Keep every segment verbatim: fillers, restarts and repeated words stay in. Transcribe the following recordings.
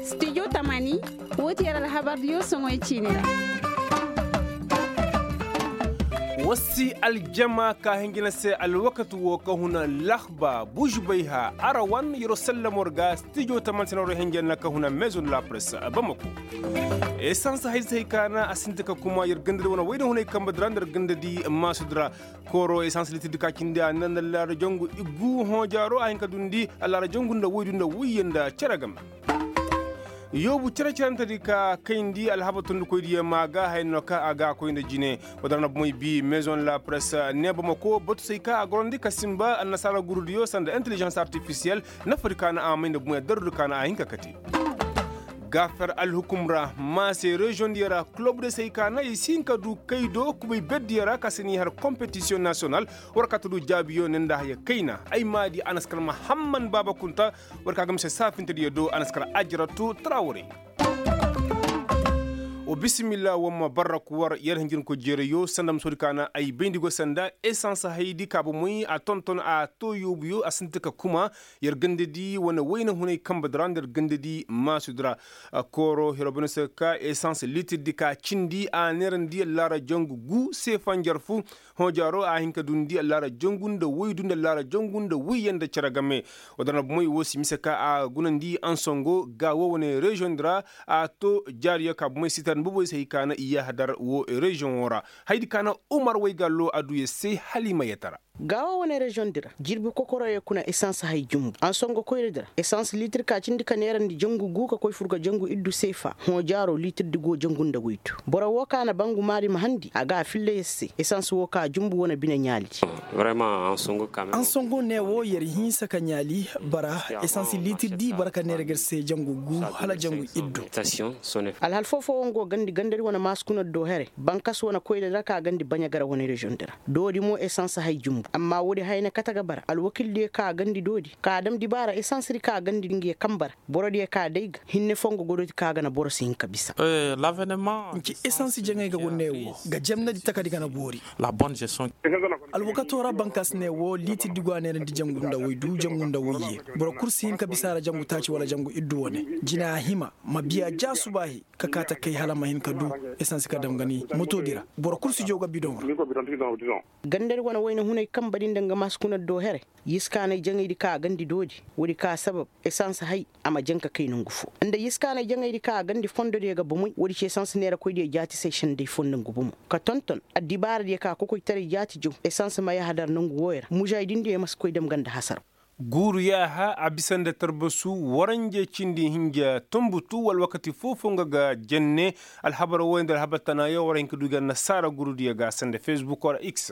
Studio tamani, woo ti yer alhabardiyo soŋoy ciini ra. War si aljama ka hinjina se alwakati woo ka huna lahba bužubay ha arawan yeroo sallamo ra ga studio tamani se na war hinjina ka huna maison de la presse bamako. Esans haydi se hay ka na a sinti ka kuma yer gandadi wane wayna hunay kambe di ra nda yer gandadi maasu di ra. Kooro esans liitir di ka cindi a neera nda allaara jangu iggu hõo jaaro a hin ka dundi allaara jangu nda woydu nda woyye nda cere game. Yoobu cere-cerante di ka kayndi alhabar tondikoydiyo maa ga haya no ka a ga a koy nda jine. Woo din ra na bomey bii maison la presse ne bamako batu se hay ka a gorandi ka sinba annasaara gurudiyo sanda intelligence artificielle. Nafadi ka na a may nda bomey darudi ka na a hin ka kate. Gaafer alhukum ra maase reziyoŋ diyo ra kulub diyo se hay ka na i si hin ka du kay do kubay ber diyo ra ka se n'i har kompetisiyoŋ nasiyonal. War ka ta du jaabiyo ne nda haya kayna ay maadi a na si kar mahamman baaba kunta. War ka ga mise saafintediyo do a na si kar ajiratu tarawaray. Wa bisimilla war ma barraku war yer hinjirnikoy jeerayo sanda ma soodi ka na ay bayndi go sanda esans haydi ka bomey a tonton a too yoobuyo a sinti ka kuma. Yer gandadi wane wayna hunay kambe di ra nda yer gandadi maasu di ra. Kooro hiro bane se ka esans liitir di ka cindi a neerandi allaara jangu gu seefa njarfu. Hõ jaaro a hin ka dundi allaara jangu nda woydu nda allaara jangu nda woyye nda cere game. Woo din ra bomey woo si mise ka a gunandi ansongo ga woo wane reziyoŋ di ra. A too jaariyo ka bomey sitar ni boboy se hay ka na i yaahadar woo reziyoŋo ra. Haydi ka na umar waygallo a du yer se hala i ma yetara. Ga woo wane reziyoŋ di ra jirbi kokoroyo kuna esans hay jumbu ansongo koyra di ra esans liitir ka cindi ka neerandi jangu gu ka koy fur ga jangu iddu seefa. Hõ jaaro liitir di go jangu nda woydu boro woo ka na bangu maari ma handi a ga a filla yer se esans woo ka jumbu wane bine ɲaali. Ansongo ne woo yer hinsa ka ɲaali bara esans liitir di bara ka neera ga yer se jangu gu hala jangu iddu. Alhal foo-fooyaŋ go gandi gandadi wane maasi kuna do here bankas wane koyra di ra ka gandi baɲa gara wane reziyoŋ di ra. Doodi mo esans hay jumbu amma woodi haya na kate ga bara alwakildiyo ka gandi doodi ka dam dibaara esans di ka gandi nga ye kambe ra. Borodiyo ka day ga hinne fongo godooti ka ga na boro si hin ka bisa. Nci esans jaŋay ga go ne woo ga jemnadi takadi ga na boori. Alwakato ra bankas ne woo liitir di go a neerandi jangu nda woydu jangu nda woyye. Boro kul si hin ka bisa a ra jangu taaci wala jangu iddu wane jina a hima ma biya ja subaahi ka kaa takay hala a ma hin ka du. Esans ka dam ga ni moto di ra boro kul si jaw ga bidoŋ ra. Gandadi wane wayna hunay kambe di nda nga maasi kuna do here. Yiskaanay jaŋaydi ka a gandi doodi woodi ka sabab esans hay a ma jaŋ ka kay nongu foo nda yiskaanay jaŋaydi ka a gandi fondodiyo ga bomey woodi ci esans neerakoydiyo jaati se senday foo nda ngu bomo ka tonton addibaaradiyo ka kokoytaray jaati jaw esans ma yahadar nongu wooyo ra mužaydindiyo ma si koy dam ganda hasaraw. Guuru yaaha a bisa nda tarbasu waranje cindi hinja tumbutu wala wakati foo-foo nga ga jenne. Alhabar wooyo nda alhabar tanaayo war hin ka du i ga annasaara gurudiyo ga sanda fesbuk wala x.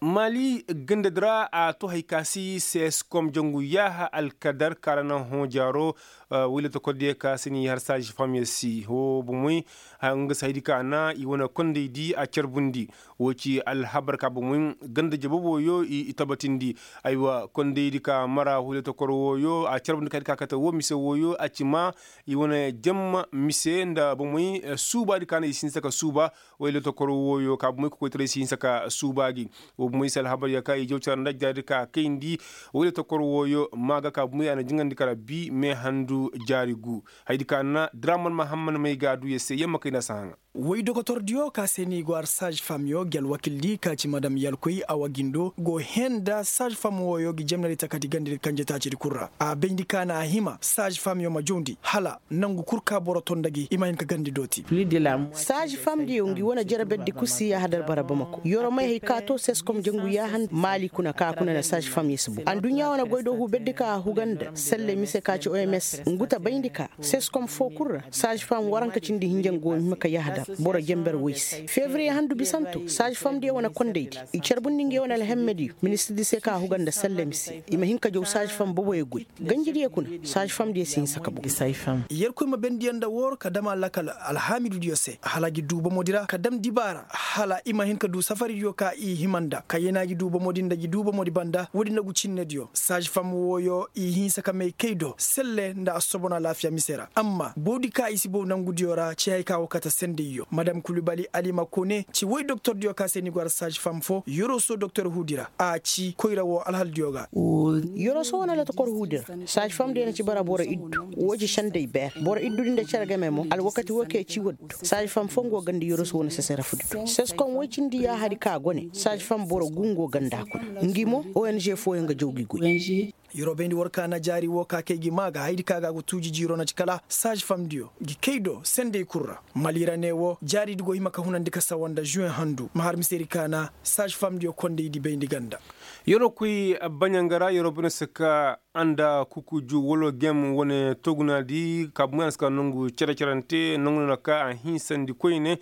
Maali gandadi ra a to hay ka si seskom jangu yaaha alkadar kaŋ ra naŋ hõ jaaro. Wayla tokordiyo ka si ni har saaz famyo si ho bomey. Nga si haydi ka na i wane kondaydi a carbundi. Wo ci alhabar ka bomey ganda jababoyo i tabatindi. Aywa kondaydi ka mara wayla tokor wooyo a carbundi ka haydi ka kate wo mise wooyo a ci ma i wane jamma mise nda bomey suubaadi ka na i si hinsa ka suuba. Wayla tokor wooyo ka bomey kokoytaray si hinsa ka suuba gi. Wo bomey se alhabar ya ka i jaw cara nda jaari ka kayndi. Wayla tokor wooyo ma ga ka bomey a na jiŋandi kara bi me handu jaari gu. Haydi ka na draman mahamman may ga a du ya se yamma kayna si haŋa. Woy dokotordiyo ka se ni go har sage femme yo gi alwakildi ka ci madam yalkoy awa gindo go henda sage femme wooyo gi jemnadi takati gandidi kanje taacidi kul ra a bayndi ka na a hima sage femme yo ma jawndi hala nangu kul ka boro to nda gi i ma hin ka gandi dooti. Sage femme diyo ngi wane jere berdi kul si yahadar bara bamako yoro may hay ka to seskom jangu yahan maali kuna ka kuna na sage femme yo si bo anduɲɲa wane goy do hu berdi ka huga nda selle mise ka ci oms ngu ta bayndi ka seskom fo kul ra sage femme waranka cindi hinja ngu wo hima ka yahadar boro jember woy se fevriye handu bisanto sage femme diyo wane kondaydi i carbundi ngi wane alhemmediyo ministirdi se ka huga nda selle mise i ma hin ka jaw sage femme boboyo goy ganjidiyo kuna sage femme diyo si hinsa ka bow. Yerkoy ma bendiyaŋ nda wooro ka dam a lakal alhaamidudiyo se hala a gi duu bomodi ra ka dam dibaara hala i ma hin ka duu safaridiyo ka i hima nda ka yena gi duu bomodi nda gi duu bomodi banda woodi nda gu cinnediyo saazi fam wooyo i hinsa ka may kay do selle nda a si sobon alaafiya mise ra amma bawdi ka i si baw nangudiyo ra ci hay ka wo kate sendayyo madam kulubali alima kone ci woy doktordiyo ka se ni go ara saazi fam fo yoroso doktor huudi ra a ci koyra woo alhaldiyo ga. Yoroso wane lotokor huudi ra saazi fam diyo na ci bara boro iddu woo ci senday beer boro iddu din da cere game mo alwakati woo kay ci waddu saazi fam fo nga woo ganda yoroso wane sesera fudi do seskom woy cindi yaahadi ka go ne saazi fam boro gu nga woo ganda kuna ngi mo ong fooyaŋ ga jaw gi goy. Yeroo bayndi war ka na jaari woo ka kay gi maa ga hayadi ka ga a go tuuji jiiroo na ci kala saazi fam diyo gi kay do senday kul ra. Mali ra ne woo jaari di go hima ka hunandi ka sawa nda žuweŋ handu ma har misedi ka na saazi fam diyo kondaydi bayndi ganda. Yeroo koy baɲanga ra yeroo bine si ka anda kukuju wala gem wane toguna di ka buŋ a si ka nongu cere-cerante nongu no na ka a hinsandi koyne.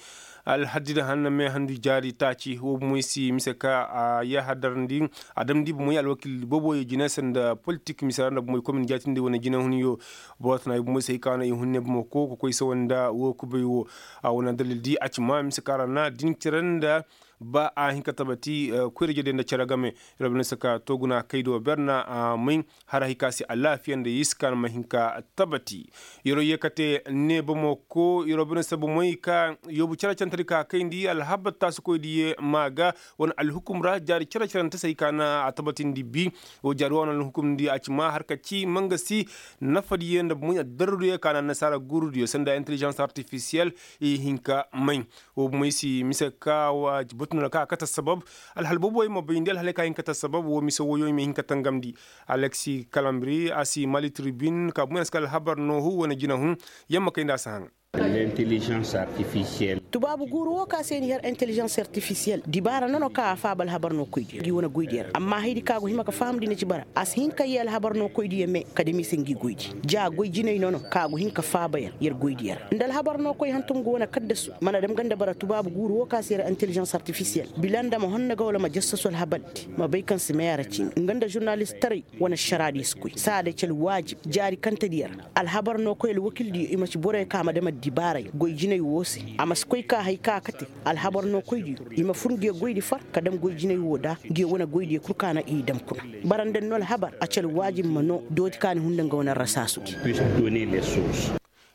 Alhaddi da hanna me handu jaari taaci woo bumoy si mise ka a yaaha darandi a damndi bumoy alwakil booboyo jine se nda politik mise ra nda bumoy komin jaatindi wane jinehunyo. Boro tana i bumoy se hay ka no i hun ne bamako ka koy sawa nda woo kubay woo. A wane dalil di a ci ma mise ka ra na din cere nda ba a hin ka tabati koyra-ije day nda cere game. Yer wo bine se ka tooguna kaydo ber na a may hara hay ka se alaafiya nda yer si ka na ma hin ka tabati. Yer wo yee kate ne bamako yer wo bine se bomey ka yoobu cere-cerentedi ka kayndi alhabar taasikoydiyo ma ga wane alhukum ra jaari cere-cerente se hay ka na a tabatindi bi. Woo jaari woo wane alhukumdi a ci ma har ka ci ma nga si nafadiyo nda bomey addarrudiyo ka na annasaara guurudiyo sanda intelijans artifisiyel i hin ka may. Woo bomey si mise ka wa batu no na ka a kate assabab. Alhal booboyo ma bayndi alhaley ka hin kate assabab woo mise wooyo i ma hin ka tangamndi. Aleksi kalambri a si mali tribin ka buŋ a si ka alhabar noohu wane jinahun. Yamma kay nda a si haŋ. Tubaabu guuru woo ka se ni har intelijans artifisiyel dibaara nono ka a faaba alhabar noo koydiyo ngi wane goydiyo ra amma hayadi ka go hima ka fahamndi na ci bara a si hin ka yee alhabar noo koydiyo me ka dam i se ngi goydi ja goy jinay nono ka go hin ka faaba yer yer goydiyo ra nda alhabar noo koy hantum go wane kaddasu mana dam nga nda bara tubaabu guuru woo ka se yer intelijans artifisiyel bila nda ma honna ga wala ma jassasu alhabardi ma bay kaŋ si meera ciini nga nda žurnalistaray wane ašaraadiyo si koy saada ci alwaajib jaari kantediyo ra alhabar noo koy alwakildiyo i ma ci boroyo ka ma dam addibaaray goy jinay woo se a ma si koy ka hay ka a kate alhabar noo koydiyo i ma fur ngiyo goydi far ka dam goy jinay woo da ngiyo wane goydiyo kul ka na i dam kuna bara nda ni noo alhabar a ci alwaajib ma noo dooti ka ni hunda nga wane arrasaasudi.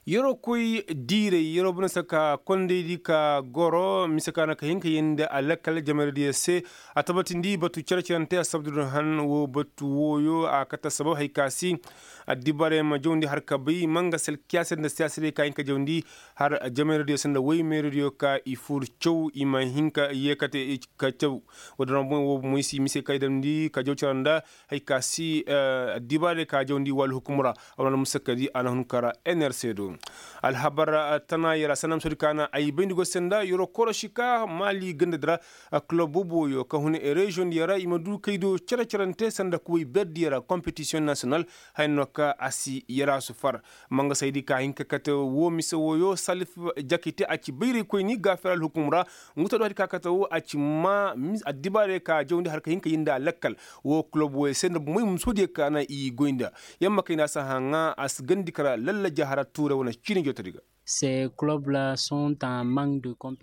Yeroo koy diiray yeroo bine se ka kondaydi ka goro mise ka na ka hin ka yeendi alakkal jameradiyo se. A tabatindi batu cere-cerante assabadu din han woo batu wooyo a kate assabab hay ka si addibaray ma jawndi har ka bay ma nga se alkiyaasadi nda siyaasadiyo ka hin ka jawndi har jameradiyo se nda woy meeradiyo ka i fur caw i ma hin ka yee kate ka caw. Woo din ra boŋ woo bomoy si mise ka i damndi ka jaw cere nda hay ka si addibaarey ka jawndi wala hukum ra. A wane almusakkadi a na hun kara nrc do. Alhabar tana yara sanam sodi ka na ay bayndi go se nda yaro korosi ka maali gandadi ra. Kulob booboyo ka hun reziyoŋ diyo ra i ma du kay do cere-cerante sanda kuway berdiyo ra kompetisiyoŋ nasiyonal. Haya no ka a si yara su far. Mangasaydi ka hin ka kate woo mise wooyo salif jakite a ci bayraykoyni gaafir alhukum ra. Ngu to do hadi ka kate woo a ci ma addibaarey ka jawndi har ka hin ka yee nda a lakkal. Woo kulob wooyo se nda moy musodiyo ka na i goy nda. Yamma kay nda a si haŋa a si gandi kara lalla jahara tuuray wane ciini jootodi ga.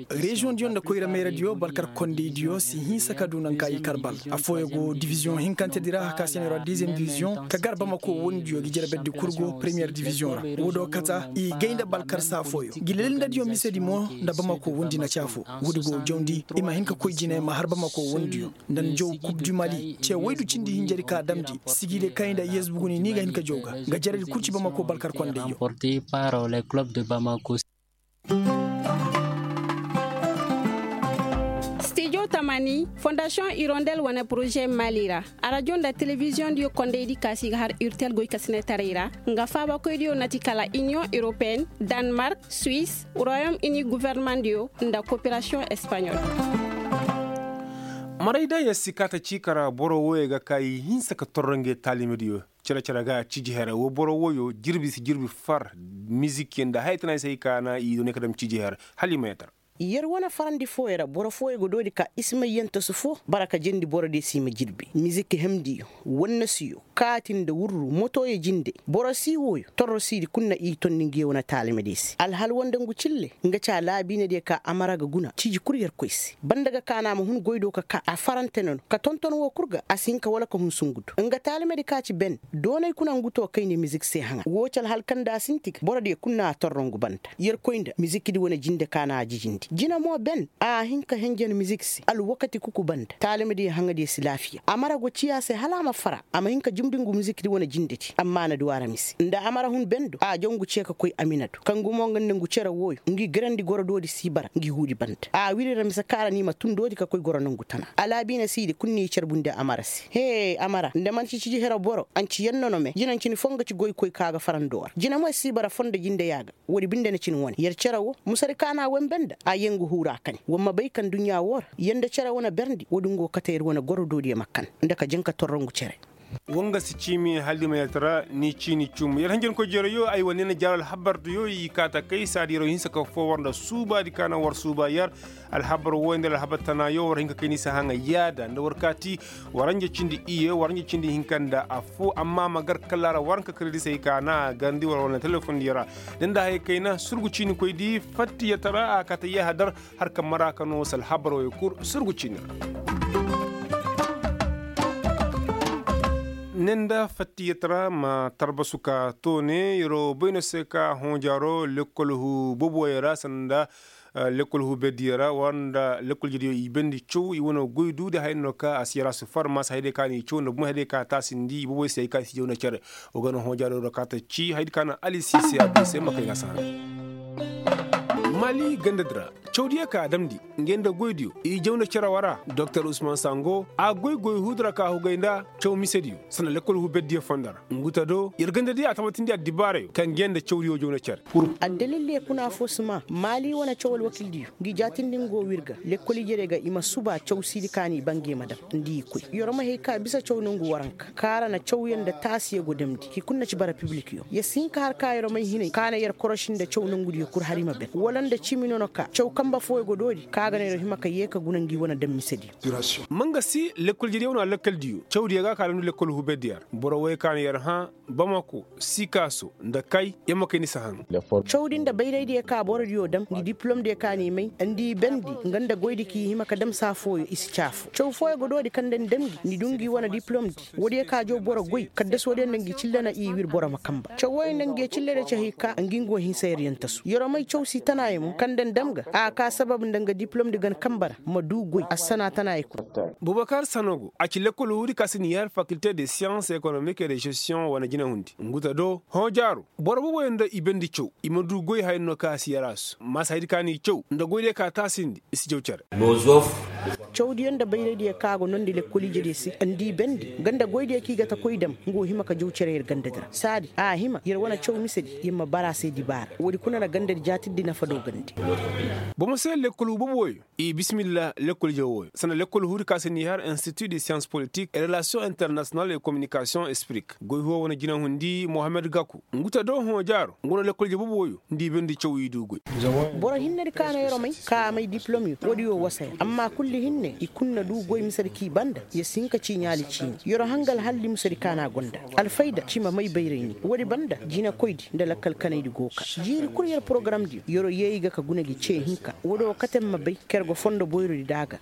Reziyoŋ diyo nda koyra meeradiyo balkar kondaydiyo si hinsa ka du naŋ ka i kar bal. Affooyaŋ go diviziyoŋ hinkantedi ra ka se no ra diziyeŋ diviziyoŋ ka gar bamako wondiyo gi jere berdi kul go premiyer diviziyoŋ ra. Woo do kata i gay nda balkar saafooyo gi lelindadiyo misedi mo nda bamako wondi na caafo. Woodi go jawndi i ma hin ka koy jine ma har bamako wondiyo nda ni jaw kub du mali ce waydu cindi hinjadi ka damndi. Sigide kay nda yesbuguni ni ga hin ka jaw ga nga jaradi kul ci bamako balkar kondayyo. Stijo tamani fondasiyoŋ irondel wane poroze mali ra. Arajo nda telebiziyoŋ diyo kondaydi ka si ga har urtel goykasinetaray ra. Nga faabakoydiyo na ti kala iniyoŋ europeen, danmark, suwis, royom ini guvernemandiyo nda koperasiyoŋ espaɲol. Maray da yer si kaa ta ciika ra boro wooyo ga ka i hinsa ka torro ngey taalimadiyo. Cere-cere ga ciiji her woo boro wooyo jirbi si jirbi far. Mizikiyo nda haya tana i se hay ka na i doonay ka dam ciiji her hala i ma yeetar. Yer wane farandi fooyo ra boro fooyo ga doodi ka ismay yantasu foo bara ka jendi borodiyo se i ma jirbi miziki hemdiyo wannasiyo. kaati nda wurru motoyo jinde. Boro sii wooyo torro siidi kul na i tondi ngi ye wane taalimadiyo se alhal woo nda ngu cille. Nga ci alaabiinadiyo ka amara ga guna ciiji kul yerkoy se banda ga kaana a ma hun goy do ka kaa a farante nono ka tonton woo kul ga a si hin ka wala ka hun sungu do nga taalimadi ka ci ben. Doonay kuna ngu too kayndi mizik se haŋa woo ci alhal kaŋ nda a sinti ga borodiyo kul na a torro ngu banda yerkoy nda mizikidi wane jinde ka na a jijindi jina mo ben a hin ka henjen mizik se alwakati kuku banda taalimadiyo haŋadiyo si laafiya amara go ciya se hala a ma fara a ma hin ka jumndi ngu mizikidi wane jindedi amma a na du a ra mise nda amara hun ben do a jaw ngu ce ka koy amina do kaŋ gumo nga nda ngu cere wooyo ngi garandi goro doodi si bara ngi huudi banda a wiri ra mise kaŋ a ra ni ma tun doodi ka koy goro nongu tana alaabiina siidi kul n'i carbundi amara se hee amara nda man'ti ciji hero boro anci yaŋ no no me jinancini foo nga ci goykoy ka ga farando ra jina mo si bara fondo jinde ya ga woodi binde na cin wane yer cere woo musadi ka na a wembe nda a yee ngu huura kani wa ma bay ka nduɲɲa woo ra yee nda cere wane berndi woodi ngu go kate yer wane goro doodiyo ma kan nda ka janka torrongu cere. Woo nga si ciimi haldi ma yer tara ni ciini cum yer hanjankoy jereyo ay wane na jaaro alhabardiyo i kaa ta kay saadi yeroo hinsa ka foo war nda suubaadi ka na war suuba yer alhabar wooyo nda alhabar tanaayo war hin ka kay ni si haŋa yaada nda war kaati. Waranja cindi iyye waranja cindi hinka nda affoo amma ma gar kala ra waranka kiredisey ka na a garndi war war na telefondiyo ra da nda hayey kayna surgu ciinikoydi fattiyatara a kaate yahadar. Har ka mara ka no salhabarowey kul surgu ciini ra. Ne nda fattiyatara ma tarbasu ka toone yeroo bay no se ka hõojaaro lekkol huu boboyo ra sanda lekkol huu berdiyo ra war nda lekkol jediyo i bendi caw i wane goy duudi haya no ka a si yarasu far maasa hayadiyo ka na i caw nda bumey hayadiyo ka taasindi i boboy se hay ka i si jaw nda cere. Wa ga no hõojaaro ra ka ta ci hayadi ka na ali si se a du i se ma kay ga saharay. Mali gandadi ra cawdiyo ka a damndi ngey nda goydiyo i jaw nda cere wara doktor usman sango a goy goy huudi ra ka hugay nda caw misediyo sanda lekkol huu berdiyo fondo ra ngu ta do yer gandadiyo a tabatindi addibaarayo kaŋ ngey nda cawdiyo jaw nda cere. Addalildiyo kuna affoo si maa maali wane caw alwakildiyo ngi jaatindi ngu go wir ga lekkol ijediyo ga i ma suba caw siidi ka n'i bangey ma dam nda i koy yer ma hay ka bisa caw nongu waranka kaŋ a ra na cawyaŋ nda taasiyo go damndi hi kul na ci bara pibilikyo yer si hin ka har ka yer may hinay ka na yer koroši nda caw nongudiyo kul har i ma ben wala nda cimi no na ka caw kanbe fooyo go doori kaŋ a ga no yer hima ka yee ka guna ngi wane dam misediyo. Ma nga si lekkol jediyo wane alakkaldiyo cawdiyo ga a ka damndi lekkol huu berdiyo ra boro woy ka na yer hã bamako sikaaso nda kay yer ma kay ni si haŋ. Cawdi nda bayraydiyo ka borodiyo dam ngi dipilomdiyo ka n'i may nda i bendi nga nda goydi kaŋ i hima ka dam saa fooyo i si ci afoo caw fooyo go doodi kaŋ nda ni dam ngi ni du ngi wane dipilomdi woodiyo ka jaw boro goy kaddasodiyo nda ngi cille na i wir boro ma kanba caw wooyo nda ngi cillediyo ci hay ka ngi ngu hinsa yer yaŋ tasu yer may caw si tanaayo mo kaŋ nda ni dam ga a ka sabab nda nga dipilomdi gan kanba ra ma du goy assana tanaayo kul. Bubakar sanogo a ci lekkol huudi ka si ni har fakilte de siyans ekonomik e de žestiyoŋ wane jinahundi ngu ta do hõ jaaro boro boboyo nda i bendi caw i ma du goy haya no ka a si yaraasu maasa hayadi ka n'i caw nda goydiyo ka taasindi i si jaw cere. Cawdiyo nda bayraydiyo ka go nondi lekkol ijediyo se nda i bendi nga nda goydiyo kaŋ i ga ta koy dam nga wo hima ka jaw cere yer gandadi ra saadi a hima yer wane caw misedi yer ma bara a se dibaara woodi kuna na gandadi jaatirdi nafa do gandi. Bomo se lekkol huubobo wooyo i bisimilla lekkol ije wooyo sanda lekkol huudi ka se ni har institut de siyans politik e relasiyoŋ internasiyonal e kominikasiyoŋ esprik goy huwo wane jinahundi mohammed gaku ngu ta do hõ jaaro ngu no lekkol ije bobo wooyo nda i bendi caw i du goy. Boro hinnedi ka no yer may ka a may dipilomyo woodi wo wasa yer amma kulli hinne i kul na du goy misedi kaŋ i banda yer si hin ka ci ɲaali ciini yer hangal halli misedi ka no a gonda alfayda ci ma may bayray ni woodi banda jinakoydi nda lakkal kanaydi go ka jiiri kul yer porogaramdiyo yer yee i ga ka guna gi ce hinka woodi wo kate ma bay ka yer go fondo boyrodi da a ga.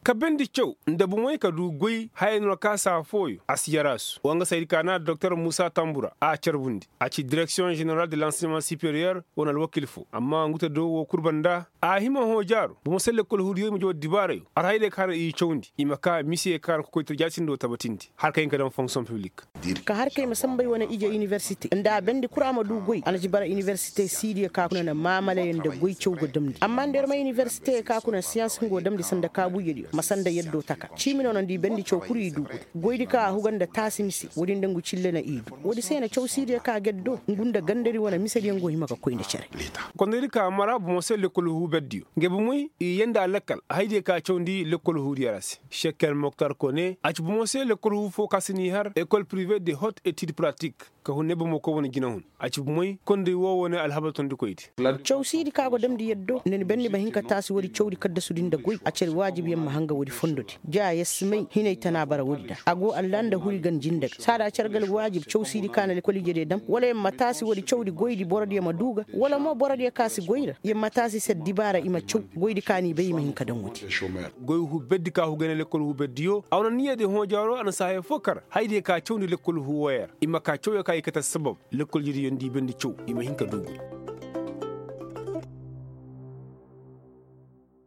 Ka bendi caw nda bumey ka du goy haya no ka saa fooyo a si yaraasu wa nga saydi ka na doktor muusa tambura a carbundi a ci direksiyoŋ ženeral de lansiyema superiyer wane alwakil fo amma ngu ta do woo kul banda a hima hõ jaaro bomo se lekkol huudiyo i ma jaw dibaarayo arhaydiyo ka na i cawndi i ma ka misiyo ka na kokoytaray jaatindi woo tabatindi har ka hin ka daŋ fonksiyoŋ piblik. Ka har ka i ma sambay wane ije iniversite nda a bendi kul a ma du goy a na ci bara iniversite siidiyo ka kuna na maamalayo nda goy caw go damndi amma nda yer ma iniversite ka kuna siyans nga wo damndi sanda kaabu ijediyo ma sanda yaddo taka ciimi no no nda i bendi caw kul i du goy goydi ka a huga nda taasi mise woodi nda ngu cille na i du woodi se na caw siidiyo ka geddo ngu nda gandadi wane misediyo nga wo hima ka koy nda cere. Kondaydi ka mara bomo se lekkol huuberdiyo ngey bomey i yee nda a lakkal haydiyo ka cawndi lekkol huudiyo ra se. Šeker moktar kone a ci bomo se lekkol huu fo ka si n'i har ekol pirive de hot etid pratik. ka hun ne bomo koy wane jinahun. A ci bumey konday woo wane alhabar tondikoydi. Caw siidi ka go damndi yaddo nda ni bandi ma hin ka taasi woodi cawdi kaddasudi nda goy a ci alwaajib yer ma hanga woodi fondodi. Ja yer si may hinay tana bara woodi da a go allanda huri ganjinda ga saada a ci alwaajib caw siidi ka na lekkol ijediyo dam wala yer ma taasi woodi cawdi goydi borodiyo ma duu ga wala mo borodiyo ka si goy ra yer ma taasi se dibaara i ma caw. Goydi ka n'i bay i ma hin ka daŋ woodi. Goy huu berdi ka huu gay na lekkol huu berdiyo a wane niyyadi hõ jaaro a na si haya foo kar hayadiyo ka cawndi lekkol huu woyey ra i ma kaa cawyo ka i kate assabab. Lekkol ijediyo nda i bandi caw i ma hin ka duu goy.